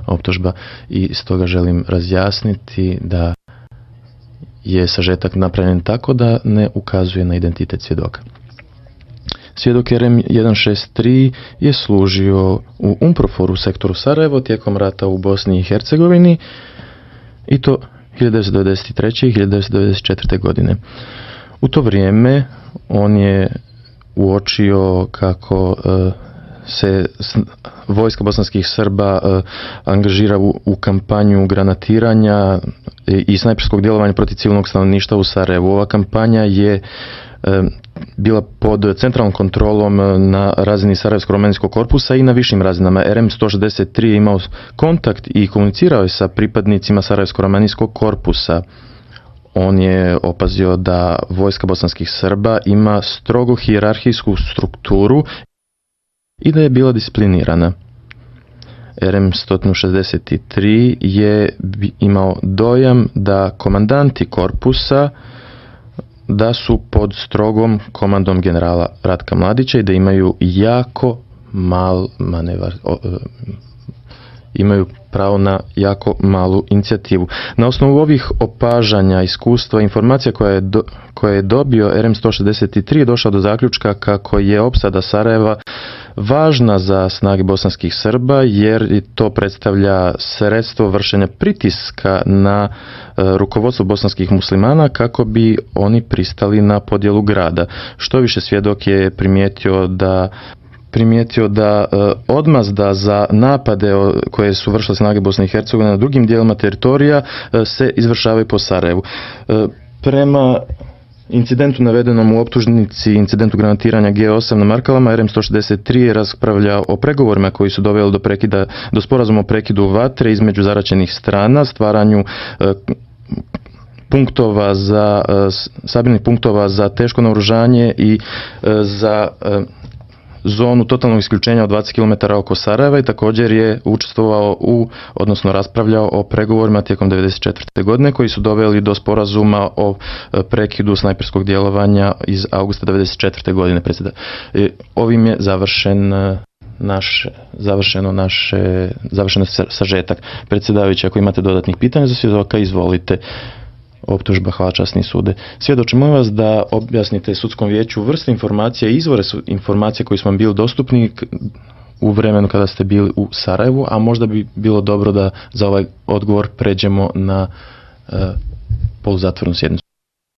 optužba i stoga želim razjasniti da je sažetak napravljen tako da ne ukazuje na identitet svjedoka. Svjedok RM 163 je služio u UNPROFOR-u sektoru Sarajevo tijekom rata u Bosni i Hercegovini i to 1993. i 1994. godine. U to vrijeme on je uočio kako se vojska bosanskih Srba angažira u kampanju granatiranja i snajperskog djelovanja protiv civilnog stanovništva u Sarajevu. Ova kampanja je bila pod centralnom kontrolom na razini Sarajevsko-romanijskog korpusa i na višim razinama. RM 163 je imao kontakt i komunicirao je sa pripadnicima Sarajevsko-romanijskog korpusa. On je opazio da vojska bosanskih Srba ima strogo hijerarhijsku strukturu i da je bila disciplinirana. RM 163 je imao dojam da komandanti korpusa da su pod strogom komandom generala Ratka Mladića i da imaju jako mal manevar, imaju pravo na jako malu inicijativu. Na osnovu ovih opažanja, iskustva, informacija koje je dobio RM 163 je došao do zaključka kako je opsada Sarajeva važna za snage bosanskih Srba jer to predstavlja sredstvo vršenja pritiska na rukovodstvo bosanskih muslimana kako bi oni pristali na podjelu grada. Što više, svjedok je primijetio da odmazda za napade koje su vršile snage Bosne i Hercegovine na drugim dijelima teritorija se izvršavaju po Sarajevu. Prema incidentu navedenom u optužnici, incidentu granatiranja G8 na Markalama, RM 163 je raspravljao o pregovorima koji su doveli do sporazuma o prekidu vatre između zaraćenih strana, stvaranju sabirnih punktova za teško naoružanje i za zonu totalnog isključenja od 20 km oko Sarajeva i također je učestvovao odnosno raspravljao o pregovorima tijekom 1994. godine koji su doveli do sporazuma o prekidu snajperskog djelovanja iz augusta 1994. godine. Ovim je završen sažetak. Predsjedavajući, ako imate dodatnih pitanja za svjedoka, izvolite. Optužba, hvala časni sude. Svjedoče, molim vas da objasnite sudskom vijeću vrste informacija i izvore informacija koji su vam bili dostupni u vremenu kada ste bili u Sarajevu, a možda bi bilo dobro da za ovaj odgovor pređemo na poluzatvornu sjednicu.